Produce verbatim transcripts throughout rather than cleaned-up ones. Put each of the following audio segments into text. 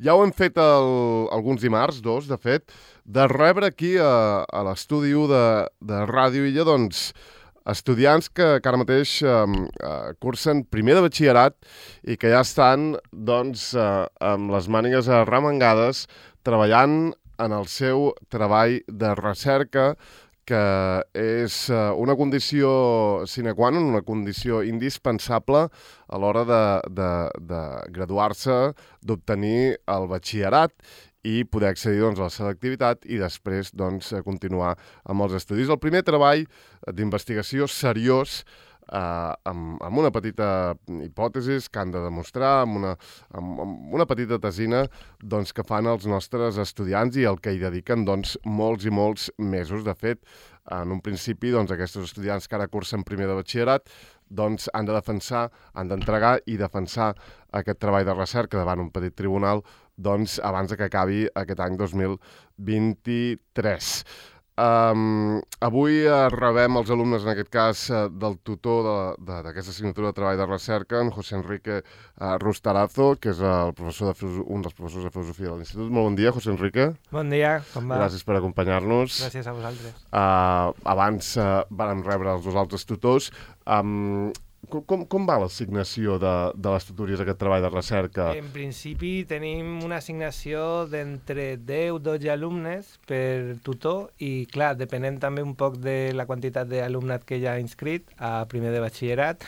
Ja ho hem fet el, alguns dimarts, dos, de fet, de rebre aquí a, a l'estudi u de, de Ràdio Illa, doncs, estudiants que, que ara mateix eh, cursen primer de batxillerat i que ja estan, doncs, eh, amb les mànigues arremangades, treballant en el seu treball de recerca, que és una condició sine qua non, una condició indispensable a l'hora de, de, de graduar-se, d'obtenir el batxillerat i poder accedir doncs, a la selectivitat i després doncs, continuar amb els estudis. El primer treball d'investigació seriós eh, amb, amb una petita hipòtesi que han de demostrar, amb una, amb, amb una petita tesina doncs, que fan els nostres estudiants i el que hi dediquen doncs, molts i molts mesos. De fet, en un principi, doncs, aquests estudiants que ara cursen primer de batxillerat doncs, han de defensar, han d'entregar i defensar aquest treball de recerca davant un petit tribunal doncs, abans que acabi aquest any dos mil vint-i-tres. Um, avui uh, rebem els alumnes, en aquest cas, uh, del tutor d'aquesta assignatura de treball de recerca, en José Enrique uh, Rustarazo, que és el professor de un dels professors de filosofia de l'Institut. Molt bon dia, José Enrique. Bon dia, com va? Gràcies per acompanyar-nos. Gràcies a vosaltres. Uh, abans uh, vam rebre els dos altres tutors. Um, Com, com va l'assignació de, de les tutories d'aquest treball de recerca? En principi tenim una assignació d'entre deu a dotze alumnes per tutor i, clar, depenent també un poc de la quantitat d'alumnat que ja ha inscrit a primer de batxillerat.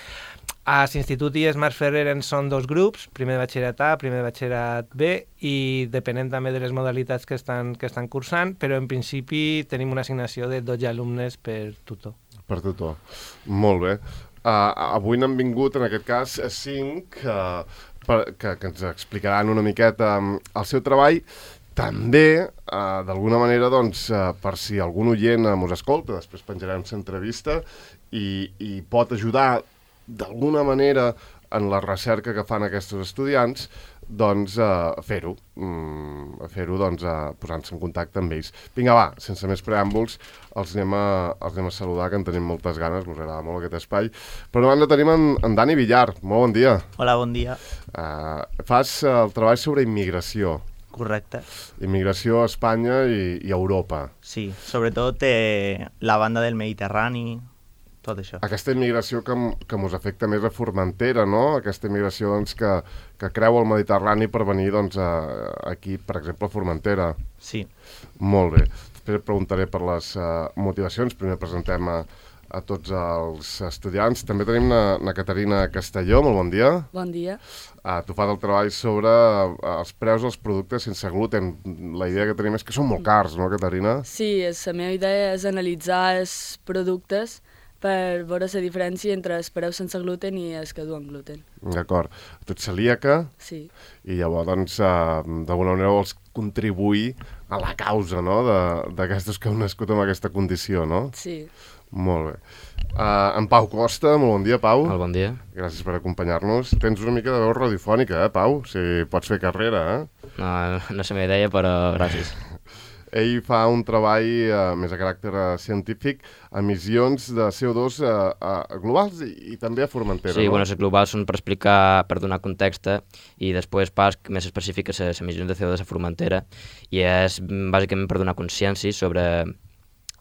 A l'Institut I E S Marc Ferrer en són dos grups, primer de batxillerat A, primer de batxillerat B, i depenent també de les modalitats que estan, que estan cursant, però en principi tenim una assignació de dotze alumnes per tutor. Per tutor, molt bé. Uh, avui n'han vingut, en aquest cas, cinc uh, per, que, que ens explicaran una miqueta um, el seu treball. També, uh, d'alguna manera, doncs, uh, per si algun oient uh, mos escolta, després penjarem l'entrevista i, i pot ajudar d'alguna manera en la recerca que fan aquests estudiants, doncs uh, fer-ho, mm, fer-ho doncs, uh, posant-se en contacte amb ells. Vinga, va, sense més preàmbuls, els anem a, els anem a saludar, que en tenim moltes ganes, ens agrada molt aquest espai. Però davant de tenim en, en Dani Villar. Molt bon dia. Hola, bon dia. Uh, fas uh, el treball sobre immigració. Correcte. Immigració a Espanya i, i a Europa. Sí, sobretot eh, la banda del Mediterrani, tot això. Aquesta immigració que, que mos afecta més a Formentera, no? Aquesta immigració doncs, que, que creu el Mediterrani per venir doncs, a, aquí, per exemple, a Formentera. Sí. Molt bé. Després preguntaré per les uh, motivacions. Primer presentem a, a tots els estudiants. També tenim la, la Caterina Castelló. Molt bon dia. Bon dia. Uh, tu fas el treball sobre uh, els preus dels productes sense gluten. La idea que tenim és que són molt cars, no, Caterina? Sí, és, la meva idea és analitzar els productes per veure la diferència entre els preus sense gluten i els que duen gluten. D'acord. Tu ets celíaca? Sí. I llavors, doncs, uh, d'alguna manera vols contribuir a la causa, no?, d'aquestos que heu nascut amb aquesta condició, no? Sí. Molt bé. Uh, en Pau Costa, molt bon dia, Pau. Molt bon dia. Gràcies per acompanyar-nos. Tens una mica de veu radiofònica, eh, Pau? Si pots fer carrera, eh? No, no sé me idea, però gràcies. Ell fa un treball eh, més a caràcter eh, científic, emissions de C O dos eh, eh, globals i, i també a Formentera, sí, no? bueno, les globals són per explicar, per donar context, i després pas més específic les emissions de C O dos a Formentera, i és bàsicament per donar consciència sobre,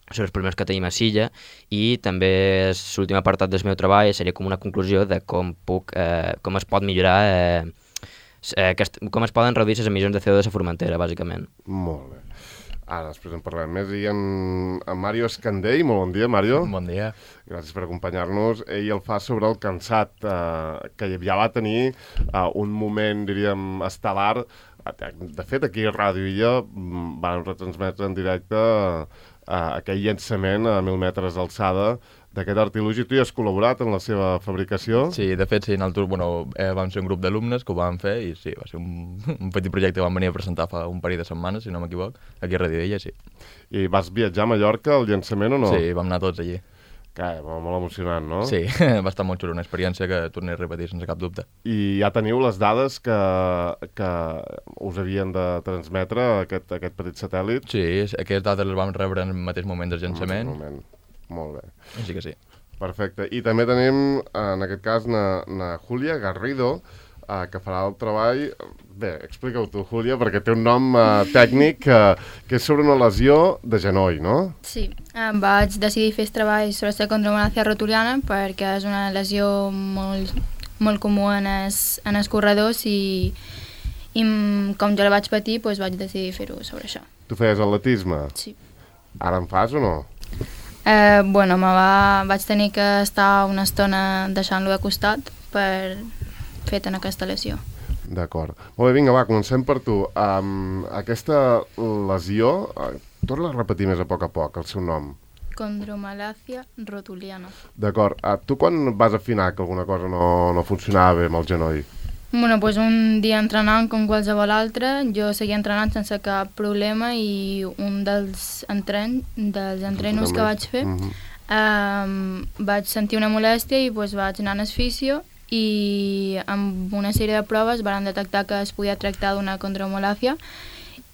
sobre els problemes que tenim a Silla, i també l'últim apartat del meu treball seria com una conclusió de com, puc, eh, com es pot millorar, eh, eh, com es poden reduir les emissions de C O dos a Formentera, bàsicament. Molt bé. Ara, després en parlem més. I en, en Mario Escandell, molt bon dia, Mario. Bon dia. Gràcies per acompanyar-nos. Ell el fa sobre el cansat, eh, que ja va tenir eh, un moment, diríem, estel·lar. De fet, aquí a Ràdio Illa van retransmetre en directe eh, aquell llançament a mil metres d'alçada d'aquest artilugi. Tu hi has col·laborat en la seva fabricació? Sí, de fet, sí, en el tour, bueno, eh, vam ser un grup d'alumnes que ho vam fer i sí, va ser un, un petit projecte que vam venir a presentar fa un parell de setmanes, si no m'equivoc, aquí a Ràdio Illa, sí. I vas viatjar a Mallorca al llançament o no? Sí, vam anar tots allí. Que, molt emocionant, no? Sí, va estar molt xulo, una experiència que tornaré a repetir sense cap dubte. I ja teniu les dades que, que us havien de transmetre aquest, aquest petit satèl·lit? Sí, aquestes dades les vam rebre en el mateix moment del llançament. En el moment. Molt bé. Així que sí. Perfecte. I també tenim, en aquest cas, na, na Júlia Garrido, uh, que farà el treball... Bé, explica-ho tu, Júlia, perquè té un nom uh, tècnic uh, que és sobre una lesió de genoll, no? Sí, em vaig decidir fer el treball sobre la condromalacia rotuliana perquè és una lesió molt, molt comú en els, en els corredors i, i com jo la vaig patir, doncs vaig decidir fer-ho sobre això. Tu feies atletisme? Sí. Ara en fas o no? Eh, bueno, me va, vaig tenir que estar una estona deixant-lo de costat per fer en aquesta lesió. D'acord. Molt bé, vinga, va, comencem per tu. Um, aquesta lesió, uh, torna a repetir més a poc a poc el seu nom. Condromalacia rotuliana. D'acord. Uh, tu quan vas afinar que alguna cosa no, no funcionava bé amb el genoll? Bueno, doncs un dia entrenant com qualsevol altre, jo seguia entrenant sense cap problema i un dels, entren, dels entrenos que vaig fer mm-hmm. um, vaig sentir una molèstia i doncs, vaig anar al fisio i amb una sèrie de proves van detectar que es podia tractar d'una condromalacia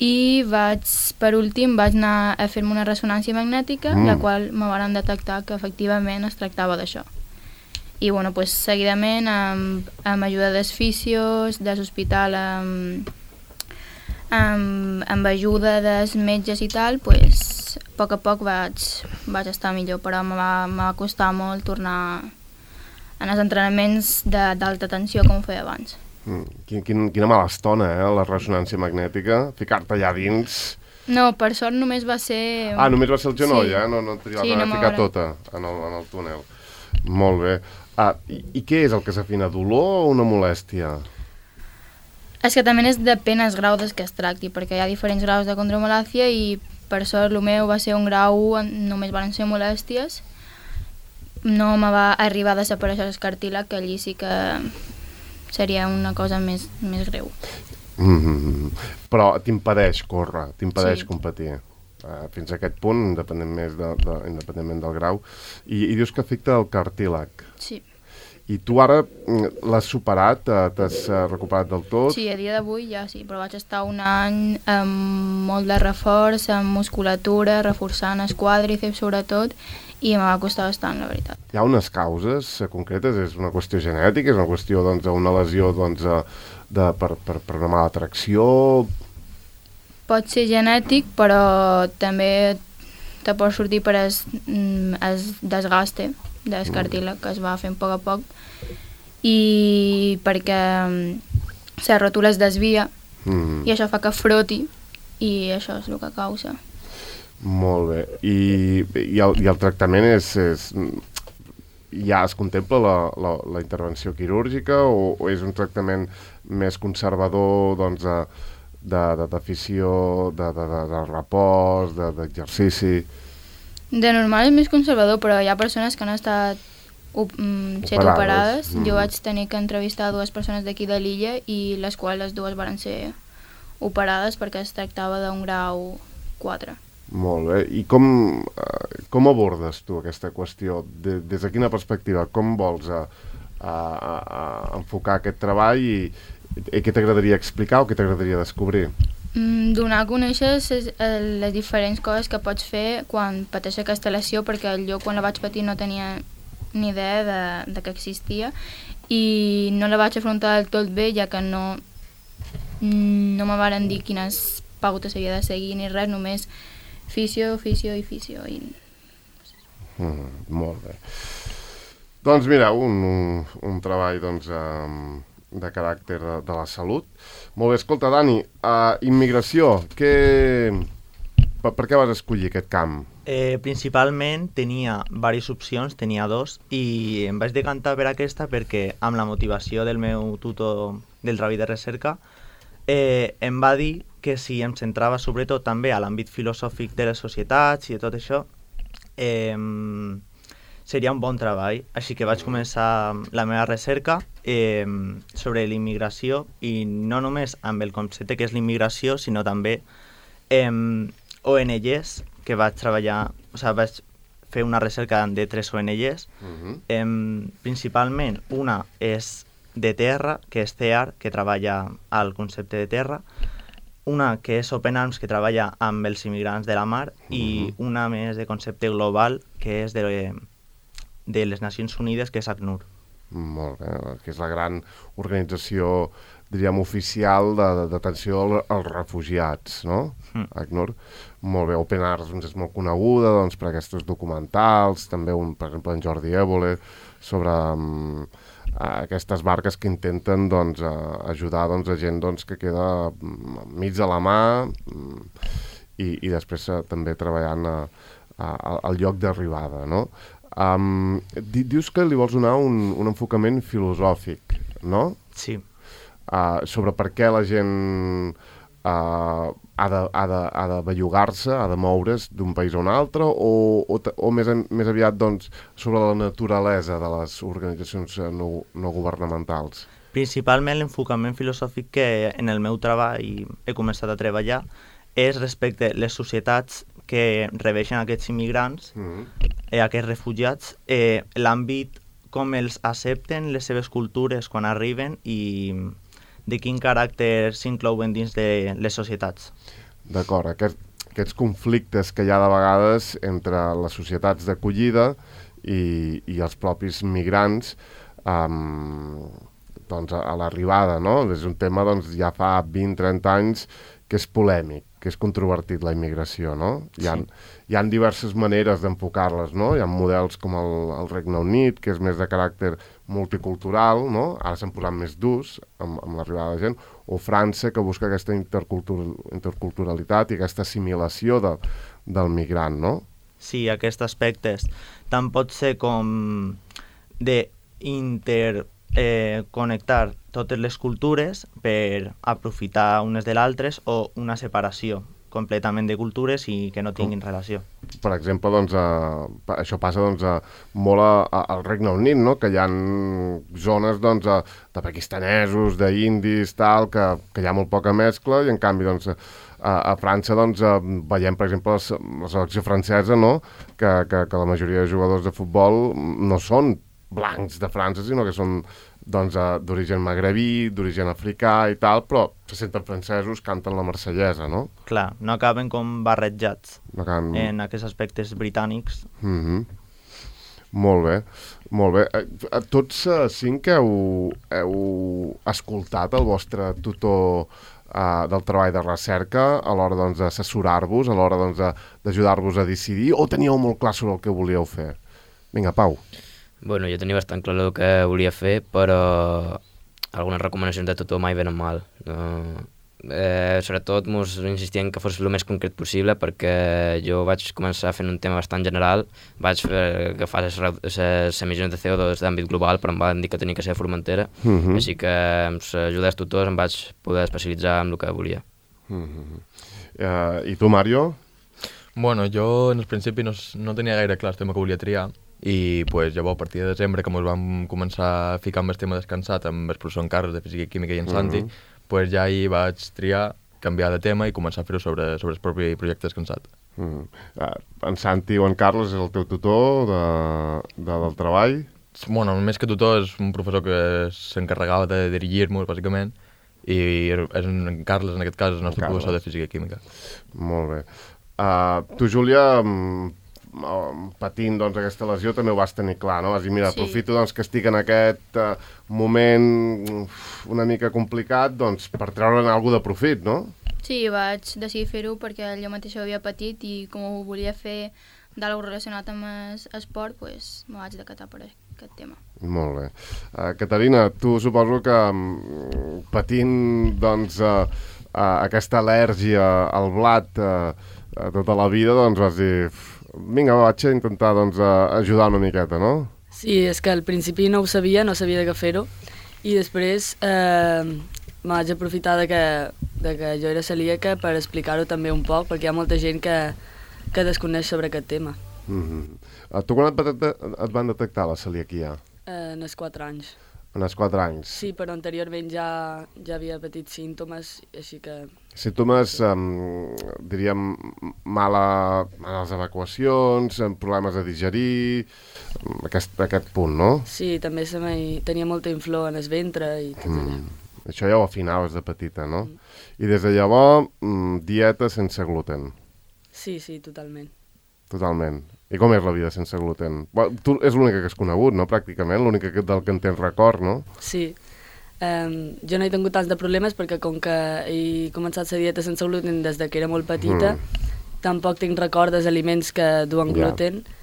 i vaig, per últim vaig anar a fer-me una ressonància magnètica, mm. la qual me van detectar que efectivament es tractava d'això. I bueno, pues, seguidament amb, amb ajuda dels fisios, de l'hospital, amb, amb, amb ajuda dels metges i tal, pues, a poc a poc vaig, vaig estar millor, però me va, me va costar molt tornar en els entrenaments d'alta tensió com ho feia abans. Mm, quin, quin, quina mala estona, eh, la ressonància magnètica, ficar-te allà dins... No, per sort només va ser... Ah, només va ser el genoll, sí. eh? No, no t'hi vas sí, a no ficar veure. tota en el, en el túnel. Molt bé. Ah, i, I què és el que s'afina, dolor o una molèstia? És que també és depèn el grau des que es tracti, perquè hi ha diferents graus de condromalacia i per sort el meu va ser un grau on només van ser molèsties. No me va arribar a desaparèixer el cartílag, que allí sí que seria una cosa més, més greu. Mm-hmm. Però t'impedeix córrer, t'impedeix sí. competir. Uh, fins a aquest punt, independent més de, de, independentment del grau. I, I dius que afecta el cartílag. Sí. I tu ara l'has superat, t'has recuperat del tot? Sí, a dia d'avui ja sí, però vaig estar un any amb molt de reforç, amb musculatura, reforçant els quàdriceps sobretot, i em va costar bastant, la veritat. Hi ha unes causes concretes? És una qüestió genètica? És una qüestió doncs, una lesió doncs, de, per, per, per una mala tracció? Pot ser genètic, però també te pot sortir per el, el desgaste del cartílag que es va fent a poc a poc i perquè la ròtula es desvia mm. i això fa que froti i això és el que causa. Molt bé. I, i, el, i el tractament és, és... ja es contempla la, la, la intervenció quirúrgica o, o és un tractament més conservador doncs, de, de, de, d'afició, de, de, de, de repòs, de, d'exercici? De normal és més conservador, però hi ha persones que han estat op mm, set operades. operades. Mm. Jo vaig tenir que entrevistar dues persones d'aquí de l'illa i les quals les dues van ser operades perquè es tractava d'un grau quatre. Molt bé. I com, uh, com abordes tu aquesta qüestió? De, des de quina perspectiva? Com vols a, a, a, a enfocar aquest treball i, i què t'agradaria explicar o què t'agradaria descobrir? Mm, donar a conèixer les, les diferents coses que pots fer quan pateixes aquesta lesió, perquè jo quan la vaig patir no tenia ni idea de, de que existia i no la vaig afrontar del tot bé, ja que no, no me varen dir quines pautes havia de seguir ni res, només fisio, fisio i fisio. I... Mm, molt bé. Doncs mira, un, un, un treball doncs, um, de caràcter de, de la salut. Molt bé, escolta, Dani, uh, immigració, què... per, per què vas escollir aquest camp? Eh, principalment tenia diverses opcions, tenia dos, i em vaig decantar per aquesta perquè amb la motivació del meu tutor del treball de recerca eh, em va dir que si em centrava sobretot també a l'àmbit filosòfic de les societats i de tot això, eh, seria un bon treball. Així que vaig començar la meva recerca eh, sobre l'immigració i no només amb el concepte que és l'immigració, sinó també eh, O N Ges, que vaig treballar, o sigui, vaig fer una recerca de tres O N Ges. Uh-huh. eh, principalment una és de terra, que és C E A R, que treballa al concepte de terra, una que és Open Arms, que treballa amb els immigrants de la mar, uh-huh. i una més de concepte global, que és de, de les Nacions Unides, que és ACNUR. Molt bé, que és la gran organització, diríem, oficial de- d'atenció al- als refugiats, no? Mm. ACNUR. Molt bé, Open Arms doncs, és molt coneguda doncs, per aquests documentals, també, un, per exemple, en Jordi Évole, sobre um, aquestes barques que intenten doncs, a, ajudar doncs, a gent doncs, que queda mm, mig de la mà mm, i, i després eh, també treballant a, a, al lloc d'arribada, no? Um, di, dius que li vols donar un, un enfocament filosòfic, no? Sí. Uh, sobre per què la gent uh, ha de, ha de, ha de bellugar-se, ha de moure's d'un país a un altre, o, o, ta- o més, en, més aviat doncs, sobre la naturalesa de les organitzacions eh, no, no governamentals. Principalment l'enfocament filosòfic que en el meu treball he començat a treballar és respecte a les societats que rebeixen aquests immigrants, Mm. eh, aquests refugiats, eh, l'àmbit com els accepten les seves cultures quan arriben i de quin caràcter s'inclouen dins de les societats. D'acord, aquest, aquests conflictes que hi ha de vegades entre les societats d'acollida i, i els propis migrants um, doncs a, a l'arribada, no? És un tema doncs, ja fa vint trenta anys que és polèmic, que és controvertit la immigració, no? Hi ha, Sí. hi ha diverses maneres d'enfocar-les, no? Hi ha models com el, el Regne Unit, que és més de caràcter multicultural, no? Ara s'han posat més durs amb, amb l'arribada de gent, o França, que busca aquesta intercultur interculturalitat i aquesta assimilació de, del migrant, no? Sí, aquests aspectes tant pot ser com de inter eh, connectar totes les cultures per aprofitar unes de l'altres o una separació completament de cultures i que no tinguin relació. Per exemple, doncs, a, pa- això passa doncs, a, molt a, a, al Regne Unit, no? Que hi ha zones doncs, a, de pakistanesos, d'indis, tal, que, que hi ha molt poca mescla, i en canvi doncs, a, a França doncs, a, veiem, per exemple, la, se- la selecció francesa, no? que, que, que la majoria de jugadors de futbol no són blancs de França, sinó que són doncs, eh, d'origen magrebí, d'origen africà i tal, però se senten francesos, canten la marsellesa, no? Clar, no acaben com barrejats No can... en aquests aspectes britànics. Mm-hmm. Molt bé, molt bé. Eh, eh, Tots eh, cinc heu, heu escoltat el vostre tutor eh, del treball de recerca a l'hora doncs, d'assessorar-vos, a l'hora doncs, de- d'ajudar-vos a decidir, o teníeu molt clar sobre el que volíeu fer? Vinga, Pau. Bueno, jo tenia bastant clar el que volia fer, però algunes recomanacions de tutor mai venen mal. No? Eh, sobretot mos insistien que fos el més concret possible, perquè jo vaig començar fent un tema bastant general, vaig fer, agafar les, re- les emissions de C O dos d'àmbit global, però em van dir que tenia que ser a Formentera, Mhm. així que amb l'ajuda dels tutors em vaig poder especialitzar en el que volia. Mm-hmm. Eh, I tu, Mario? Bueno, jo en el principi no, s- no tenia gaire clar el tema que volia triar i pues, llavors a partir de desembre que ens vam començar a ficar amb el tema descansat amb el professor en Carles de Física i Química i en Santi, Mhm. pues, ja hi vaig triar, canviar de tema i començar a fer-ho sobre, sobre el propi projecte descansat. Mm. Eh, en Santi o en Carles és el teu tutor de, de, del treball? Bueno, més que tutor és un professor que s'encarregava de dirigir-nos, bàsicament, i és en Carles, en aquest cas, és el nostre Carles. professor de Física i Química. Molt bé. Uh, tu, Júlia, mm, mm, patint doncs, aquesta lesió, també ho vas tenir clar, no? Vas dir, mira, Sí. aprofito doncs, que estic en aquest uh, moment uf, una mica complicat doncs, per treure'n alguna de profit, no? Sí, vaig decidir fer-ho perquè jo mateixa ho havia patit i com ho volia fer d'algú relacionat amb es- esport, doncs me vaig decatar per aquest tema. Molt bé. Uh, Caterina, tu suposo que mm, patint doncs, uh, uh, aquesta al·lèrgia al blat uh, uh, tota la vida, doncs vas dir, "Uf, vinga, va, vaig a intentar doncs, uh, ajudar una miqueta, no? Sí, és que al principi no ho sabia, no sabia de què fer-ho, i després eh, me vaig aprofitar de que, de que jo era celíaca per explicar-ho també un poc, perquè hi ha molta gent que, que desconeix sobre aquest tema. Mm-hmm. uh, tu quan et, va det- et van detectar la celiaquia? Eh, en els quatre anys. En els quatre anys? Sí, però anteriorment ja, ja havia patit símptomes, així que... Símptomes, um, diríem, mala, males evacuacions, amb problemes de digerir, aquest, aquest punt, no? Sí, també se me, tenia molta inflor en el ventre i tot allò. Mm. Això ja ho afinaves de petita, no? I des de llavors, mm, dieta sense gluten. Sí, sí, totalment. totalment. I com és la vida sense gluten? Bueno, tu és l'única que has conegut, no?, pràcticament, l'única que, del que en tens record, no? Sí. Um, jo no he tingut tants de problemes perquè com que he començat la dieta sense gluten des de que era molt petita, mm. tampoc tinc record dels aliments que duen gluten, yeah.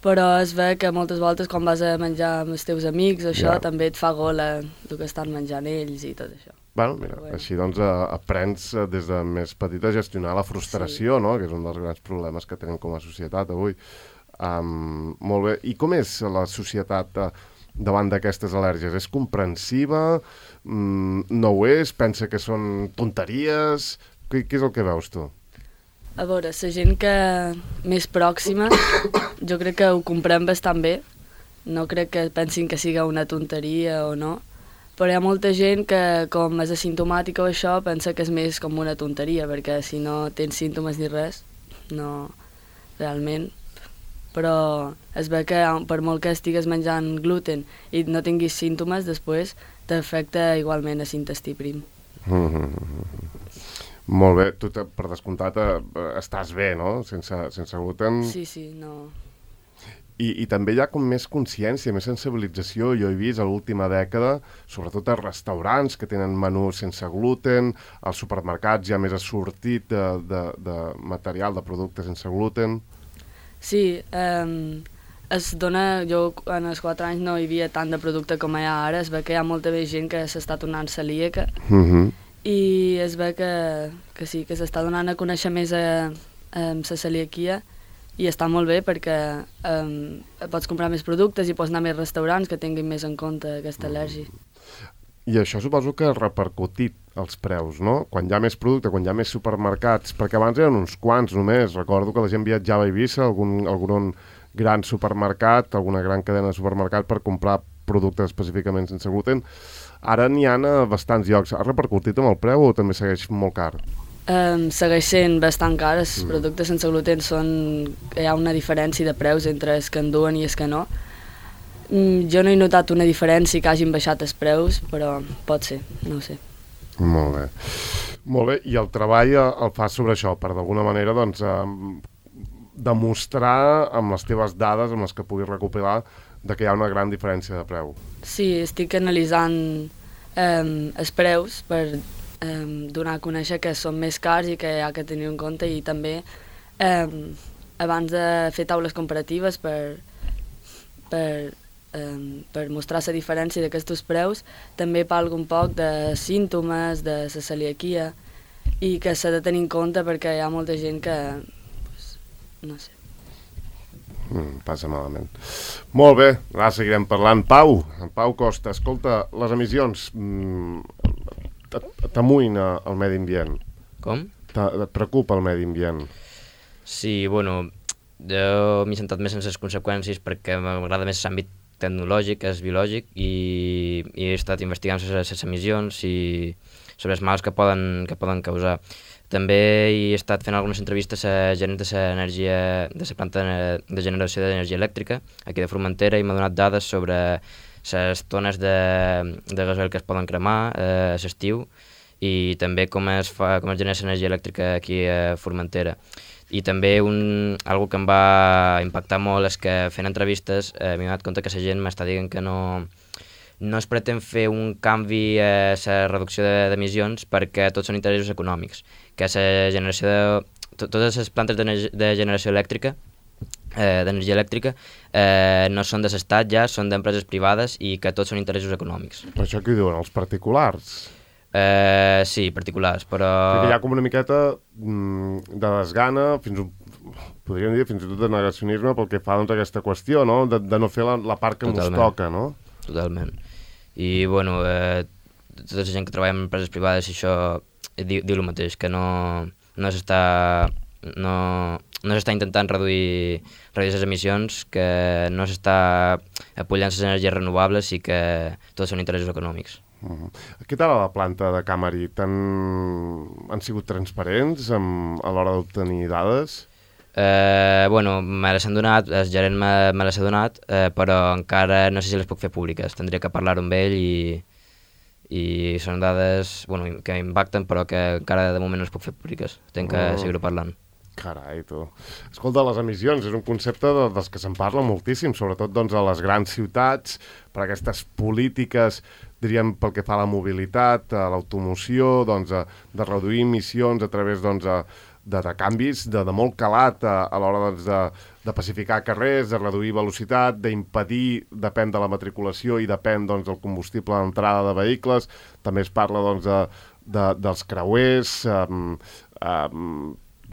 però es ve que moltes voltes quan vas a menjar amb els teus amics, això yeah. també et fa gola el que estan menjant ells i tot això. Bueno, mira, bueno. Així doncs aprens des de més petita a gestionar la frustració, sí. no?, que és un dels grans problemes que tenim com a societat avui. Um, molt bé. I com és la societat uh, davant d'aquestes al·lèrgies? És comprensiva? Mm, no ho és? Pensa que són tonteries? Què, què és el que veus tu? A veure, la gent que més pròxima jo crec que ho comprèn bastant bé. No crec que pensin que siga una tonteria o no. Però hi ha molta gent que, com és asimptomàtica o això, pensa que és més com una tonteria, perquè si no tens símptomes ni res, no, realment. Però es ve que per molt que estigues menjant gluten i no tinguis símptomes, després t'afecta igualment a l'intestí prim. Mm-hmm. Molt bé. Tu, per descomptat, estàs bé, no?, sense, sense gluten. Sí, sí, no... I, I també hi ha com més consciència, més sensibilització. Jo he vist a l'última dècada, sobretot a restaurants que tenen menús sense gluten, als supermercats hi ha més assortit de, de, de material, de productes sense gluten. Sí, eh, es dona, jo en els quatre anys no hi havia tant de producte com hi ha ara, es ve que hi ha molta més gent que s'està tornant celíaca, uh-huh. i es ve que, que sí, que s'està donant a conèixer més a, a la celiaquia, i està molt bé perquè um, pots comprar més productes i pots anar a més restaurants que tinguin més en compte aquesta al·lèrgia. I això suposo que ha repercutit els preus, no? Quan hi ha més producte, quan hi ha més supermercats, perquè abans eren uns quants només. Recordo que la gent viatjava a Eivissa, algun, algun gran supermercat, alguna gran cadena de supermercat per comprar productes específicament sense gluten. Ara n'hi ha a bastants llocs. Ha repercutit amb el preu o també segueix molt car? Um, segueix sent bastant car. Els mm. productes sense gluten són... hi ha una diferència de preus entre els que en duen i els que no. Mm, jo no he notat una diferència que hagin baixat els preus, però pot ser, no ho sé. Molt bé. Molt bé, i el treball el fas sobre això, per d'alguna manera doncs, eh, demostrar amb les teves dades, amb les que puguis recopilar, de que hi ha una gran diferència de preu. Sí, estic analitzant eh, els preus per Eh, donar a conèixer que són més cars i que hi ha que tenir en compte, i també eh, abans de fer taules comparatives per, per, eh, per mostrar la diferència d'aquests preus, també parlo un poc de símptomes, de la celiaquia, i que s'ha de tenir en compte perquè hi ha molta gent que, pues, no sé. Mm, passa malament. Molt bé, ara seguirem parlant. Pau, Pau Costa, escolta, les emissions... Mm, t'amoïna el medi ambient? Com? Et preocupa el medi ambient? Sí, bueno, jo m'he centrat més en les conseqüències perquè m'agrada més l'àmbit tecnològic, és biològic, i, i he estat investigant les emissions i sobre els mals que poden, que poden causar. També he estat fent algunes entrevistes a gent de l'energia, de la planta de generació d'energia elèctrica aquí de Formentera, i m'ha donat dades sobre les tones de, de gasoil que es poden cremar eh, a l'estiu, i també com es, fa, com es genera l'energia elèctrica aquí a Formentera. I també un, algo que em va impactar molt és que fent entrevistes eh, m'he donat compte que la gent m'està dient que no, no es pretén fer un canvi a la reducció d'emissions perquè tots són interessos econòmics, que la generació de, totes les plantes de generació elèctrica Eh, d'energia elèctrica eh, no són de l'estat ja, són d'empreses privades, i que tots són interessos econòmics. Per això què diuen, els particulars? Eh, sí, particulars, però... Perquè hi ha com una miqueta mm, de desgana, fins un, podríem dir fins i tot de negacionisme pel que fa doncs, a aquesta qüestió, no? De, de no fer la, la part que Totalment. ens toca, no? Totalment. I, bueno, eh, tota la gent que treballa en empreses privades i això diu, diu el mateix, que no, no s'està... no... no s'està intentant reduir, reduir les emissions, que no s'està apujant les energies renovables i que tots són interessos econòmics. Uh-huh. Què tal a la planta de Camari? Tan... Han sigut transparents amb... a l'hora d'obtenir dades? Eh, bueno, me les han donat, el gerent me, me les ha donat, eh, però encara no sé si les puc fer públiques. Tindria que parlar-ho amb ell, i, i són dades bueno, que impacten, però que encara de moment no les puc fer públiques. Tenc que uh-huh. seguir-ho parlant. Carai, tu. Escolta, les emissions és un concepte de, dels que se'n parla moltíssim, sobretot doncs, a les grans ciutats, per aquestes polítiques, diríem, pel que fa a la mobilitat, a l'automoció, doncs, a, de reduir emissions a través doncs, a, de, de canvis de, de molt calat a, a l'hora doncs, de, de pacificar carrers, de reduir velocitat, d'impedir, depèn de la matriculació i depèn doncs, del combustible d'entrada de vehicles. També es parla doncs, de, de, dels creuers, um, um,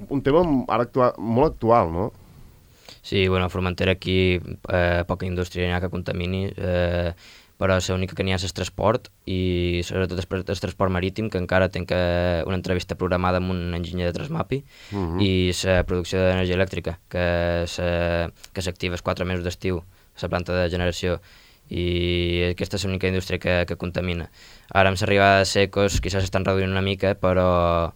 un tema ara actua molt actual, no? Sí, bueno, a Formentera aquí eh, poca indústria n'hi ha que contamini, eh, però l'única que n'hi ha és el transport i sobretot el, el transport marítim, que encara tinc una entrevista programada amb un enginyer de Transmapi, uh-huh. i la producció d'energia elèctrica, que s'activa els quatre mesos d'estiu, la planta de generació, i aquesta és l'única indústria que, que contamina. Ara amb l'arribada de secos quizás estan reduint una mica, però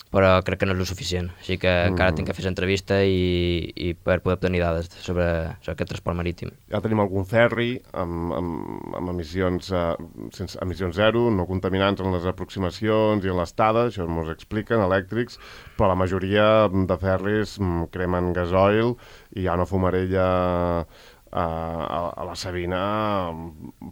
però crec que no és el suficient, així que mm. encara tinc que fer l'entrevista i, i per poder obtenir dades sobre, sobre aquest transport marítim. Ja tenim algun ferri amb, amb, amb emissions, eh, sense, emissions zero, no contaminants en les aproximacions i en l'estada, això ens expliquen, elèctrics, però la majoria de ferris cremen gasoil i hi ha una fumarella a, a, a la Sabina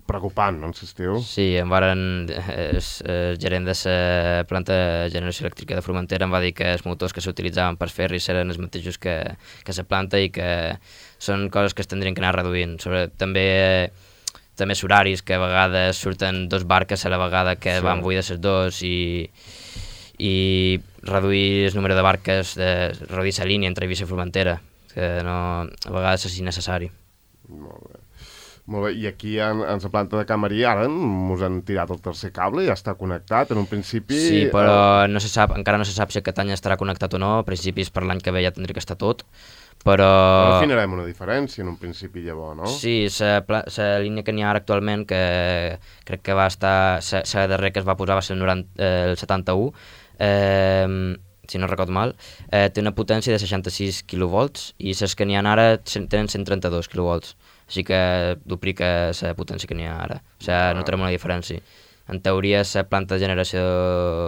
preocupant, no, en l'estiu? Sí, em varen, el, el gerent de la planta de generació elèctrica de Formentera em va dir que els motors que s'utilitzaven per ferris eren els mateixos que, que la planta i que són coses que es tindrien que anar reduint. Sobre, també també els horaris, que a vegades surten dos barques a la vegada que sí. van buides les dos i, i reduir el número de barques, de, reduir la línia entre Eivissa i Formentera, que no, a vegades és innecessari. Molt bé. Molt bé. I aquí en, en la planta de Can Maria ara ens han tirat el tercer cable, ja està connectat en un principi... Sí, però no se sap, encara no se sap si aquest any estarà connectat o no, a principis per l'any que ve ja tindria que estar tot, però... Però afinarem una diferència en un principi llavors, no? Sí, la línia que n'hi ha ara actualment, que crec que va estar... La darrera que es va posar va ser el, noranta, eh, el setanta-u, eh, si no recordo mal, eh, té una potència de seixanta-sis quilovolts i les que n'hi ha ara tenen cent trenta-dos quilovolts, així que duplica la potència que n'hi ha ara, o sigui, ah. notarem una diferència. En teoria, la planta de generació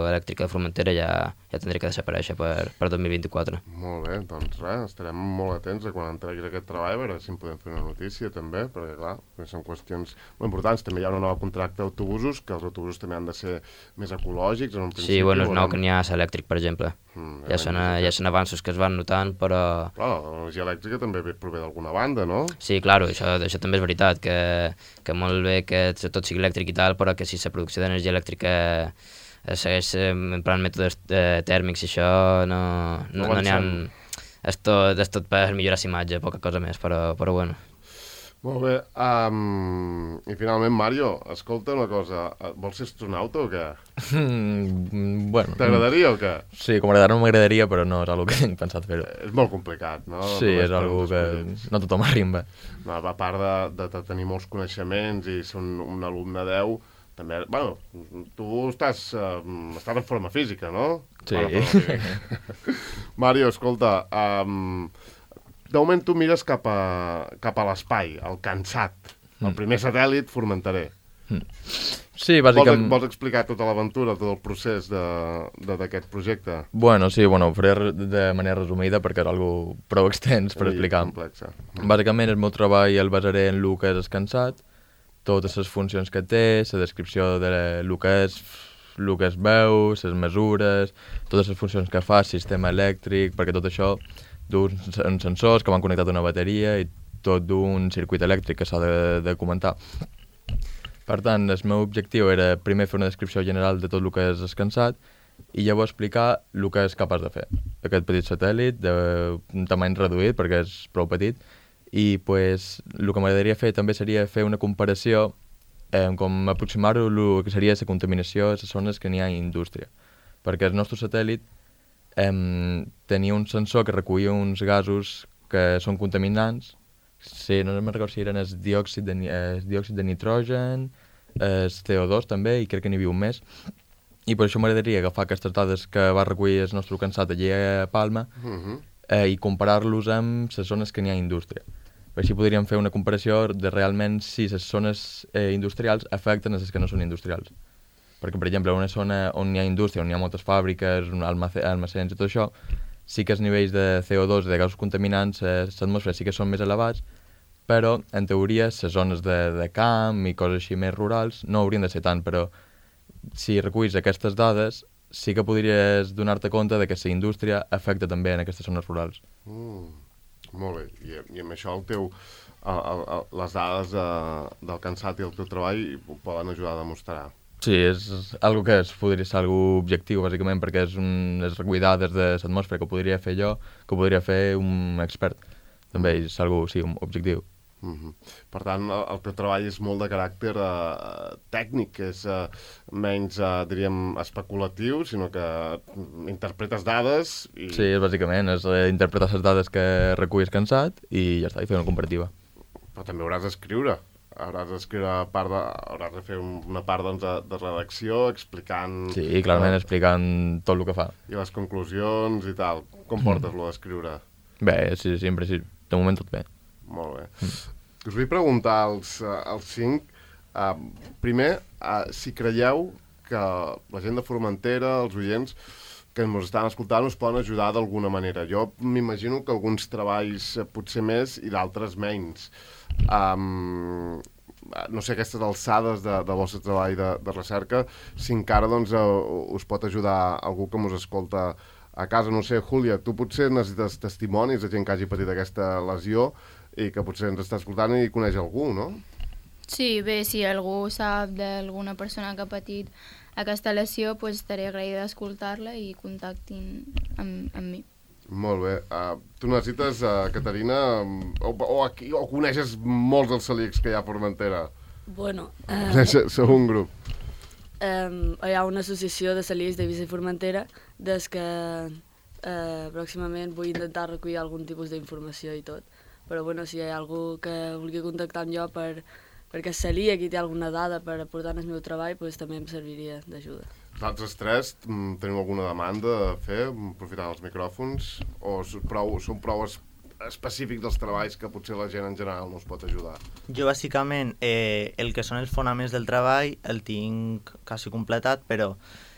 elèctrica de Formentera ja, ja tindria que desaparèixer per, per dos mil vint-i-quatre. Molt bé, doncs res, estarem molt atents a quan entreguis aquest treball, a veure si en podem fer una notícia també, perquè clar, són qüestions molt importants. També hi ha una nova contracte d'autobusos, que els autobusos també han de ser més ecològics en un principi. Sí, bueno, és nou que n'hi ha l'elèctric, per exemple. Mm, ja, són, ja són avanços que es van notant, però... Clar, l'energia elèctrica també prové d'alguna banda, no? Sí, clar, això, això també és veritat, que, que molt bé que tot sigui elèctric i tal, però que si la producció d'energia elèctrica segueix emprant mètodes eh, tèrmics i això no no, no, no n'hi ha... És tot, és tot per millorar la imatge, poca cosa més, però, però bueno. Molt bé. Um, I finalment, Mario, escolta una cosa. Vols ser astronauta o què? Mm, bueno... T'agradaria o què? Sí, com a no m'agradaria, però no és algo que tinc pensat fer-ho. És molt complicat, no? Sí, és algo que no tothom arrimba. No, a part de, de, de tenir molts coneixements i ser un, un alumne deu, també, bueno, tu estàs, uh, estàs en forma física, no? Sí. Mario, escolta, um, de moment tu mires cap a, cap a l'espai, al Cansat, el primer satèl·lit formenterer. Mm. Sí, bàsicament... Vols, vols explicar tota l'aventura, tot el procés d'aquest projecte? Bueno, sí, bueno, ho faré de manera resumida perquè és algo prou extens per sí, explicar. Complexa. Bàsicament el meu treball el basaré en el que és el Cansat, totes les funcions que té, la descripció de el que és, el que es veu, les mesures, totes les funcions que fa, sistema elèctric, perquè tot això d'uns sensors que van connectats a una bateria i tot d'un circuit elèctric que s'ha de, de comentar. Per tant, el meu objectiu era primer fer una descripció general de tot el que és el Cansat i llavors explicar el que és capaç de fer. Aquest petit satèl·lit d'un tamany reduït, perquè és prou petit, i pues, el que m'agradaria fer també seria fer una comparació, eh, com aproximar-ho el que seria la contaminació a les zones que n'hi ha indústria. Perquè el nostre satèl·lit eh, tenia un sensor que recollia uns gasos que són contaminants. Sí, no me'n recordo si eren el diòxid de, el diòxid de nitrogen, el C O dos també, i crec que n'hi havia un més. I per això m'agradaria agafar aquestes dades que va recollir el nostre Cansat allí a Palma uh-huh. eh, i comparar-los amb les zones que n'hi ha indústria. Així podríem fer una comparació de realment si les zones eh, industrials afecten a les que no són industrials. Perquè, per exemple, una zona on hi ha indústria, on hi ha moltes fàbriques, almacens i tot això, sí que els nivells de C O dos, de gasos contaminants, a l'atmosfera sí que són més elevats, però, en teoria, les zones de, de camp i coses així més rurals no haurien de ser tant, però si reculls aquestes dades, sí que podries donar-te compte de que la indústria afecta també en aquestes zones rurals. Mm, molt bé. I, i amb això el teu, el, el, el, les dades de, del cansat i el teu treball poden ajudar a demostrar. Sí, és algo que es podria ser algo objectiu, bàsicament, perquè és un, és recollir dades de l'atmosfera que podria fer jo, que podria fer un expert. També és algo, sí, un objectiu. Mm-hmm. Per tant, el, el teu treball és molt de caràcter eh, tècnic, és eh, menys, eh, diríem, especulatiu, sinó que interpretes dades i... Sí, és bàsicament, és eh, interpretar les dades que recullis cansat i ja està, i fer una comparativa. Però també hauràs d'escriure. Hauràs d'escriure part de... hauràs de fer un, una part doncs, de, de redacció explicant... Sí, clarament eh, explicant tot el que fa. I les conclusions i tal. Com portes lo d'escriure? Bé, sí, sí, en principi, de moment tot bé. Molt bé. Mm. Us vull preguntar als, als cinc, uh, primer, uh, si creieu que la gent de Formentera, els oients que ens estan escoltant, us poden ajudar d'alguna manera. Jo m'imagino que alguns treballs uh, potser més i d'altres menys. Um, no sé, aquestes alçades de, del vostre treball de, de recerca, si encara doncs, uh, us pot ajudar algú que us escolta a casa. No sé, Júlia, tu potser necessites testimonis de gent que hagi patit aquesta lesió i que potser ens està escoltant i coneix algú, no? Sí, bé, si algú sap d'alguna persona que ha patit aquesta lesió, pues estaré agraïda d'escoltar-la i contactin amb, amb mi. Molt bé. Uh, tu necessites, uh, Caterina, o, o, aquí, o coneixes molts dels celíacs que hi ha a Formentera? Bueno... Eh, Coneixes, sou un grup. Eh, hi ha una associació de celíacs de Eivissa i Formentera des que eh, pròximament vull intentar recollir algun tipus d'informació i tot. Però bueno, si hi ha algú que vulgui contactar amb jo per, perquè és celíac i té alguna dada per aportar en el meu treball, doncs també em serviria d'ajuda. Vosaltres tres teniu alguna demanda a fer, aprofitant els micròfons, o són prou, són prou es, específics dels treballs que potser la gent en general no us pot ajudar? Jo, bàsicament, eh, el que són els fonaments del treball el tinc quasi completat, però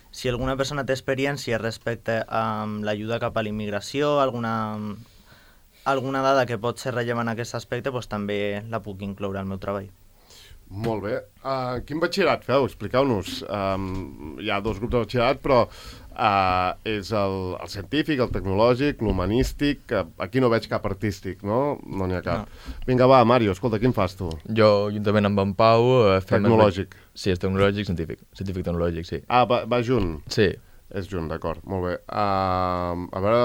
si alguna persona té experiència respecte a l'ajuda cap a l'immigració, alguna... alguna dada que pot ser rellevant en aquest aspecte, doncs també la puc incloure al meu treball. Molt bé. Uh, quin batxillerat feu? Expliqueu-nos. Um, hi ha dos grups de batxillerat, però uh, és el, el científic, el tecnològic, l'humanístic. Uh, aquí no veig cap artístic, no? No n'hi ha cap. No. Vinga, va, Mario, escolta, quin fas tu? Jo, juntament amb en Pau... Uh, fem tecnològic. El... Sí, és tecnològic, científic. Científic tecnològic, sí. Ah, va, va junt? Sí. És junt, d'acord. Molt bé. Uh, a veure,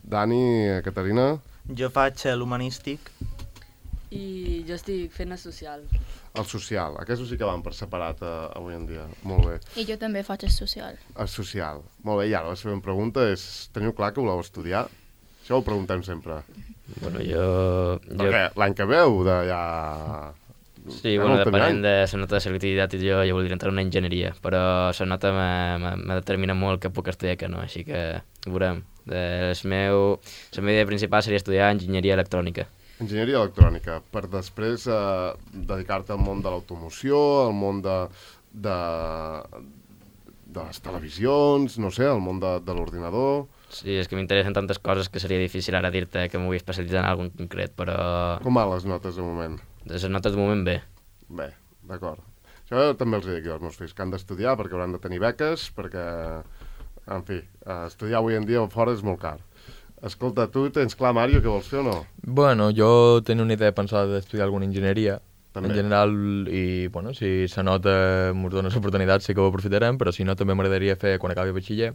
Dani, Caterina... Jo faig l'humanístic. I jo estic fent el social. El social. Aquests sí que van per separat uh, avui en dia. Molt bé. I jo també faig el social. El social. Molt bé, i ara la següent pregunta és, teniu clar que voleu estudiar? Això ho preguntem sempre. Bueno, jo... Perquè jo... l'any que veu de ja... Sí, bueno, depenent de la nota de selectivitat, jo ja voldria entrar en una enginyeria, però la nota me determina molt que puc estudiar que no, així que ho veurem. El meu... La meva idea principal seria estudiar enginyeria electrònica. Enginyeria electrònica, per després eh, dedicar-te al món de l'automoció, al món de, de, de les televisions, no sé, al món de, de l'ordinador... Sí, és que m'interessen tantes coses que seria difícil ara dir-te que m'ho vull especialitzar en alguna concret, però... Com van les notes de moment? Les notes de moment bé. Bé, d'acord. Això també els dic jo als meus fills, que han d'estudiar perquè hauran de tenir beques, perquè, en fi, estudiar avui en dia fora és molt car. Escolta, tu tens clar, Mario, què vols fer o no? Bueno, jo tenia una idea pensada d'estudiar alguna enginyeria, també. En general, i bueno, si se nota ens dona l'oportunitat sí que ho aprofitarem, però si no també m'agradaria fer, quan acabi batxiller,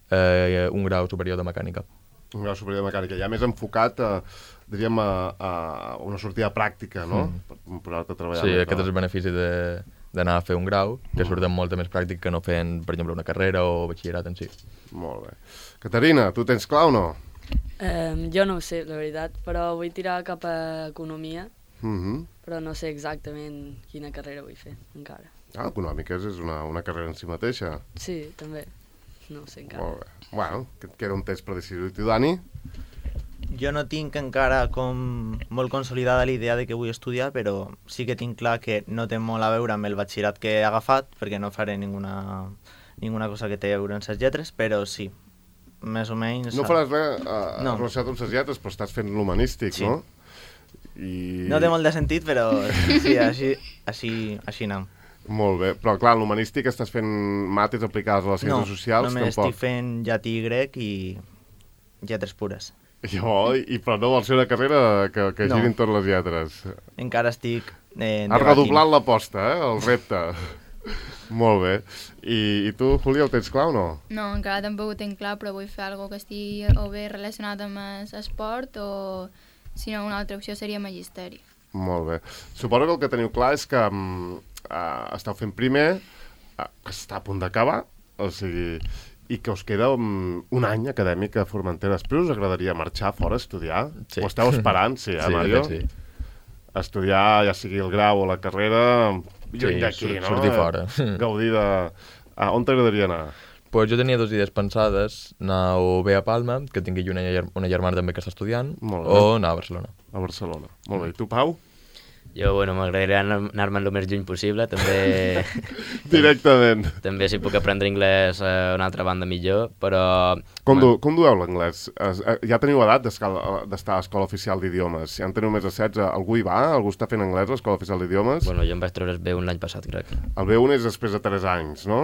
eh, un grau superior de mecànica. Un grau superior de mecànica, ja més enfocat a, diríem, a, a una sortida pràctica, no? Mm. Per posar-te a treballar. Sí, aquest és el benefici de d'anar a fer un grau, que surt amb molta més pràctica que no fent, per exemple, una carrera o batxillerat en si. Molt bé. Caterina, tu tens clar o no? Um, jo no ho sé, la veritat, però vull tirar cap a economia, Mm-hmm. però no sé exactament quina carrera vull fer, encara. Ah, econòmiques és una, una carrera en si mateixa. Sí, també. No ho sé encara. Molt bé. Bueno, que et queda un test per decidir. I tu, Dani? Jo no tinc encara com molt consolidada la idea de que vull estudiar, però sí que tinc clar que no té molt a veure amb el batxillerat que he agafat, perquè no faré ninguna, ninguna cosa que té a veure amb les lletres, però sí, més o menys... No faràs res uh, No. relacionat amb les lletres, però estàs fent l'humanístic, Sí. no? I... No té molt de sentit, però sí, així, així, així anem. Molt bé, però clar, en l'humanístic estàs fent mates aplicades a les No, ciències socials, només tampoc. estic fent llatí i grec i lletres pures. Jo, i, però no vols fer una carrera que, que No. girin totes les lletres. Encara estic eh, Has redoblat l'aposta, eh? El repte. Molt bé. I, I tu, Júlia, ho tens clar o no? No, encara tampoc ho tinc clar, però vull fer alguna que estigui o bé relacionat amb l'esport o, si no, una altra opció seria magisteri. Molt bé. Suposo que el que teniu clar és que um, uh, esteu fent primer, uh, que està a punt d'acabar, o sigui, i que us queda um, un any acadèmic a Formentera. Després us agradaria marxar fora a estudiar? Sí. Ho esteu esperant, sí, eh, Sí, Mario? de fet, sí. Estudiar, ja sigui el grau o la carrera, lluny Sí, d'aquí, sur- no? sortir fora. Gaudir de... Ah, on t'agradaria anar? Pues jo tenia dues idees pensades, anar o bé a Palma, que tingui una, ger una germana també que està estudiant, Molt bé. o anar a Barcelona. A Barcelona. Molt bé. I tu, Pau? Jo, bueno, m'agradaria anar- anar-me'n el més lluny possible, també... Directament. també si puc aprendre anglès a una altra banda millor, però... Com, du com dueu l'anglès? Es- eh, Ja teniu edat d'escal- d'estar a l'Escola Oficial d'Idiomes. Ja en teniu més de setze. Algú hi va? Algú està fent anglès a l'Escola Oficial d'Idiomes? Bueno, jo em vaig treure el B un l'any passat, crec. El B un és després de tres anys, no?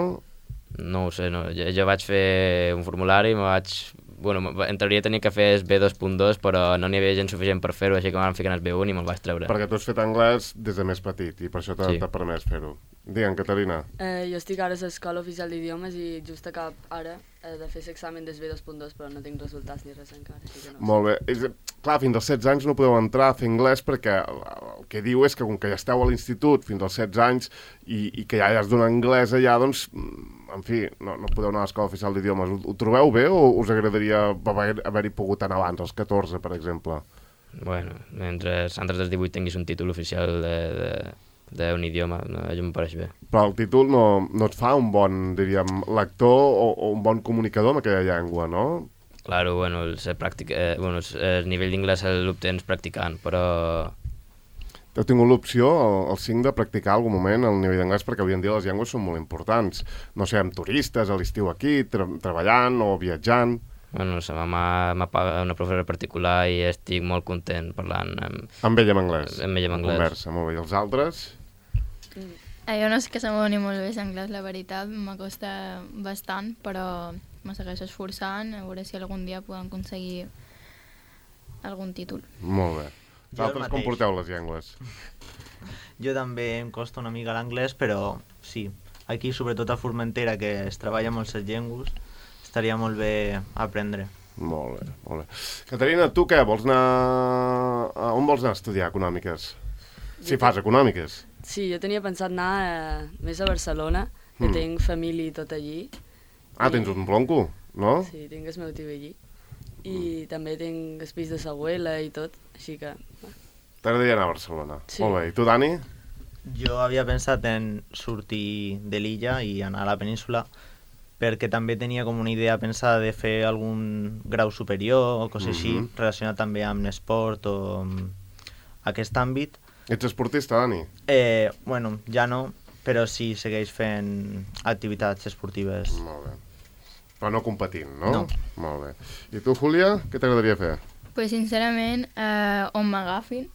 No ho sé, no. Jo, jo vaig fer un formulari, me vaig... Bueno, en teoria tenia que fer el B dos punt dos, però no n'hi havia gent suficient per fer-ho, així que m'han ficat el B un i me'l vaig treure. Perquè tu has fet anglès des de més petit i per això t'ha Sí. sí. permès fer-ho. Digue'm, Caterina. Eh, jo estic ara a l'Escola Oficial d'Idiomes i just acab ara eh, de fer l'examen del B dos punt dos, però no tinc resultats ni res encara. Així que no. Molt bé. És, clar, fins als setze anys no podeu entrar a fer anglès perquè el, el que diu és que com que ja esteu a l'institut fins als setze anys i, i que ja has donat anglès allà, doncs, en fi, no, no podeu anar a l'Escola Oficial d'Idiomes. Ho, ho trobeu bé o us agradaria haver- haver-hi pogut anar abans, als catorze, per exemple? Bueno, mentre antes dels divuit tinguis un títol oficial de, de, d'un idioma, no, això em pareix bé. Però el títol no, no et fa un bon, diríem, lector o, o un bon comunicador amb aquella llengua, no? Claro, bueno, el, ser pràctic, eh, bueno, el, el nivell d'inglès l'obtens practicant, però... Heu tingut l'opció, el, el cinc, de practicar algun moment el nivell d'anglès, perquè avui en dia les llengües són molt importants. No sé, amb turistes, a l'estiu aquí, tra treballant o viatjant... Bueno, la mama m'apaga una professora particular i estic molt content parlant amb, Amb ella en anglès. amb ella en anglès. Conversa, molt bé. I els altres? Eh, jo no és que se m'ho ni molt bé l'anglès, la veritat, m'acosta bastant, però me segueixo esforçant, a veure si algun dia podem aconseguir algun títol. Molt bé. Jo el Vosaltres com mateix. porteu les llengües? Jo també em costa una mica l'anglès, però sí, aquí sobretot a Formentera, que es treballa molt les llengües, estaria molt bé aprendre. Molt bé, molt bé. Caterina, tu què? Vols anar... A on vols anar a estudiar econòmiques? Si fas econòmiques. Sí, jo tenia pensat anar eh, més a Barcelona, que Mm. tinc família i tot allí. Ah, tens un blonco, no? Sí, tinc el meu tio allí. I també tinc el pis de l'abuela i tot, així que... T'agradaria anar a Barcelona. Sí. Molt bé. I tu, Dani? Jo havia pensat en sortir de l'illa i anar a la península, perquè també tenia com una idea pensada de fer algun grau superior o coses així, Mhm. relacionat també amb l'esport o amb aquest àmbit. Ets esportista, Dani? Eh, bueno, ja no, però sí segueix fent activitats esportives. Molt bé. Però no competint, no? No. Molt bé. I tu, Júlia, què t'agradaria fer? Pues sincerament, eh, on m'agafin,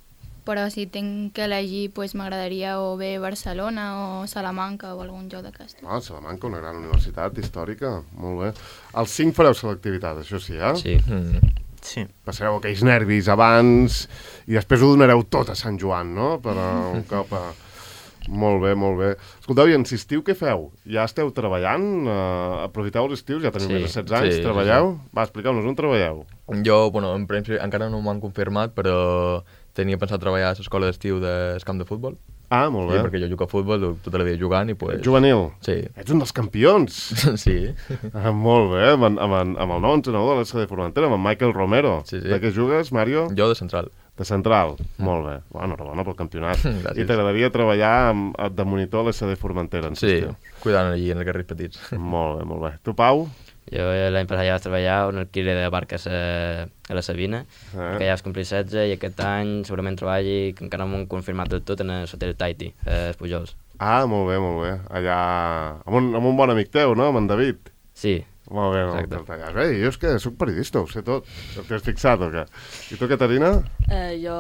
però si tinc que elegir, pues m'agradaria o bé Barcelona o Salamanca o algun lloc d'aquest. Ah, Salamanca, una gran universitat històrica. Molt bé. Els cinc fareu selectivitat, això sí, eh? Sí. Mm. Sí. Passareu aquells nervis abans i després ho donareu tot a Sant Joan, no? Per a un cop a... Molt bé, molt bé. Escolteu, i en l'estiu què feu? Ja esteu treballant? Uh, aprofiteu els estius? Ja teniu Sí, més de setze anys? sí, sí, Treballeu? Va, expliqueu-nos, on treballeu? Jo, bueno, en principi encara no m'ho han confirmat, però tenia pensat treballar a l'escola d'estiu del camp de futbol. Ah, molt Sí, bé. perquè jo jugo a futbol tota la vida jugant i pues... Juvenil? Sí. Ets un dels campions! Sí. Ah, molt bé, amb, en- amb, en- amb el nou entrenador de l'S de Formentera, amb en Michael Romero. Sí, sí. De què jugues, Mario? Jo de central. De central. Molt bé. Bueno, enhorabona pel campionat. Gràcies. I t'agradaria treballar amb, de monitor a l'S de Formentera, en Sí, l'estiu? cuidant allí en els carrers petits. Molt bé, molt bé. Tu, Pau? Jo l'any passat ja vaig treballar a un alquiler de barques a, a la Sabina, Eh? que ja vaig complir setze i aquest any segurament treballi, que encara no m'ho han confirmat del tot, en el hotel Tahiti, a els Pujols. Ah, molt bé, molt bé. Allà... Amb un, amb un bon amic teu, no? Amb en David. Sí, Molt bé, molt Exacte. bé. Bé, jo és que soc periodista, ho sé tot. T'has fixat o què? I tu, Caterina? Eh, jo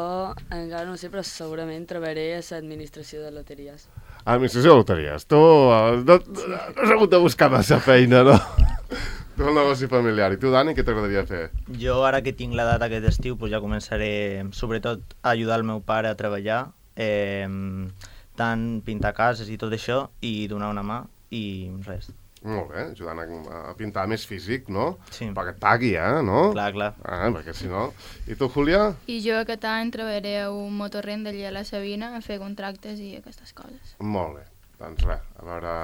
encara no ho sé, però segurament treballaré a l'administració de loteries. Administració de loteries. Tu eh, no, no has hagut de buscar massa feina, no? Tu el negoci familiar. I tu, Dani, què t'agradaria fer? Jo, ara que tinc l'edat aquest estiu, pues ja començaré, sobretot, a ajudar el meu pare a treballar, eh, tant pintar cases i tot això, i donar una mà, i res. Molt bé, ajudant a, a pintar més físic, no? Sí. Perquè et pagui, eh, no? Clar, clar. Ah, perquè si no... I tu, Júlia? I jo aquest any treballaré a un motorrent d'allà a la Sabina a fer contractes i aquestes coses. Molt bé. Doncs res, a veure...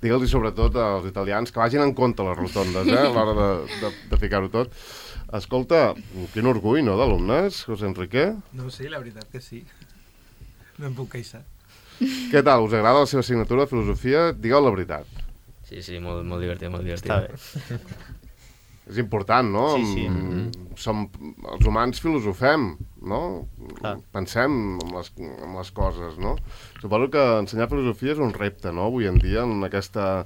Digue'ls sobretot als italians que vagin en compte les rotondes, eh, a l'hora de, de, de ficar-ho tot. Escolta, quin orgull, no, d'alumnes, José Enrique? No, sí, la veritat que sí. No em puc queixar. Què tal, us agrada la seva assignatura de filosofia? Digueu la veritat. Sí, sí, molt, molt divertit, molt divertit. Està bé. És important, no? Sí, sí. Mm, Som, els humans filosofem, no? Clar. Pensem en les, en les coses, no? Suposo que ensenyar filosofia és un repte, no?, avui en dia, en aquesta...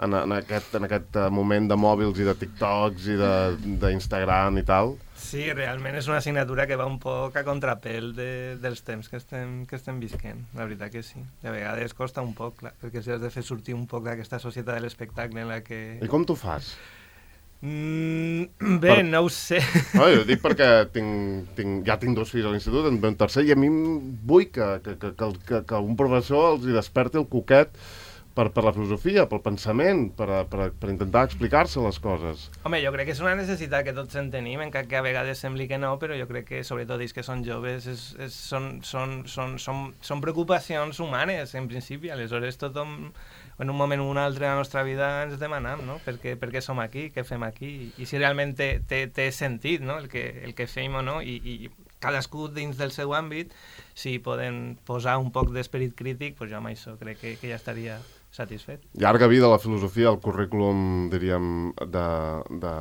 En, en, aquest, en aquest moment de mòbils i de TikToks i de- d'Instagram i tal. Sí, realment és una assignatura que va un poc a contrapèl de, dels temps que estem, que estem visquent, la veritat que sí. De vegades costa un poc, clar, perquè si has de fer sortir un poc d'aquesta societat de l'espectacle en la que... I com t'ho fas? Mm, bé, Per- no ho sé. No, jo dic perquè tinc, tinc, ja tinc dos fills a l'institut, en ve un tercer, i a mi em vull que, que, que, que, que, que un professor els hi desperti el coquet per, per la filosofia, pel pensament, per, a- per, a- per intentar explicar-se les coses. Home, jo crec que és una necessitat que tots en tenim, encara que a vegades sembli que no, però jo crec que, sobretot ells que són joves, és, és, són, són, són, són, són preocupacions humanes, en principi. Aleshores, tothom, en un moment o un altre de la nostra vida, ens demanam, no? Per què, per què som aquí, què fem aquí, i si realment té, té, té sentit, no?, el que, el que fem o no, i, i cadascú dins del seu àmbit, si poden posar un poc d'esperit crític, doncs jo amb això crec que, que ja estaria satisfet. Llarga vida la filosofia, el currículum, diríem, de, de,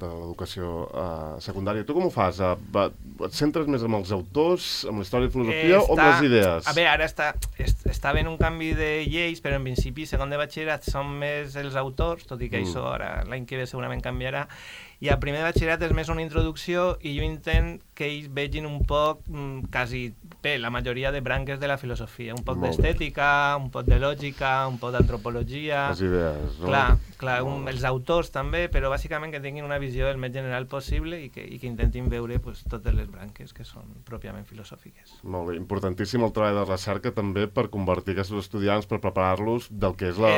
de l'educació uh, secundària. Tu com ho fas? Uh, va- et centres més en els autors, amb la història de filosofia, o amb les idees? A veure, ara està, est, està havent un canvi de lleis, però en principi, segon de batxillerat, són més els autors, tot i que Mm. això ara l'any que ve segurament canviarà, i a primer de batxillerat és més una introducció i jo intent que ells vegin un poc, mm, quasi, bé, la majoria de branques de la filosofia, un poc Molt bé. d'estètica, un poc de lògica, un poc d'antropologia... Les idees, no? Clar, clar un, Molt bé. els autors també, però bàsicament que tinguin una visió el més general possible i que, i que intentin veure pues, totes les branques que són pròpiament filosòfiques. Molt bé, importantíssim el treball de recerca també per convertir aquests estudiants, per preparar-los del que és la-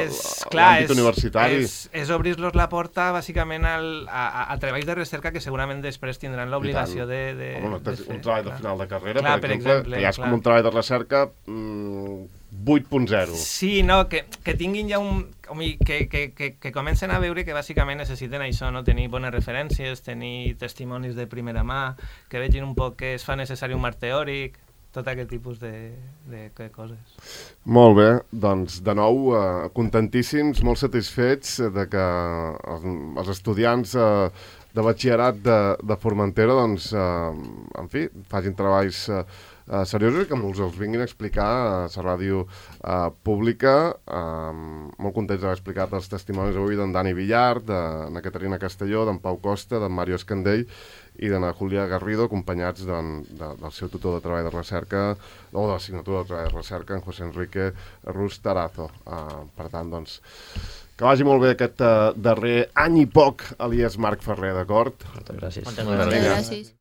l'àmbit universitari. És, és obrir-los la porta bàsicament al, a, a, a treballs de recerca que segurament després tindran l'obligació de, de, Home, no, de un fer. treball de clar. final de carrera, Clar, per, per exemple, exemple, que ja és clar. com un treball de recerca mm, vuit punt zero. Sí, no, que, que tinguin ja un... home, Que, que, que, que comencen a veure que bàsicament necessiten això, no? Tenir bones referències, tenir testimonis de primera mà, que vegin un poc que es fa necessari un marc teòric, tot aquest tipus de, de, de coses. Molt bé, doncs de nou eh, contentíssims, molt satisfets de que els, els estudiants eh, de batxillerat de, de Formentera, doncs, eh, en fi, facin treballs eh, eh, seriosos i que ens els vinguin a explicar a la ràdio eh, pública. Eh, molt contents d'haver explicat els testimonis avui d'en Dani Villar, d'en Caterina Castelló, d'en Pau Costa, d'en Mario Escandell i d'en Julia Garrido, acompanyats d'en- de, del seu tutor de treball de recerca, o de l'assignatura de treball de recerca, en José Enrique Rus Tarazo. Uh, per tant, doncs, que vagi molt bé aquest uh, darrer any i poc a l'I E S Marc Ferrer, d'acord? Moltes gràcies. Moltes Molt bé, gràcies. vinga. Gràcies.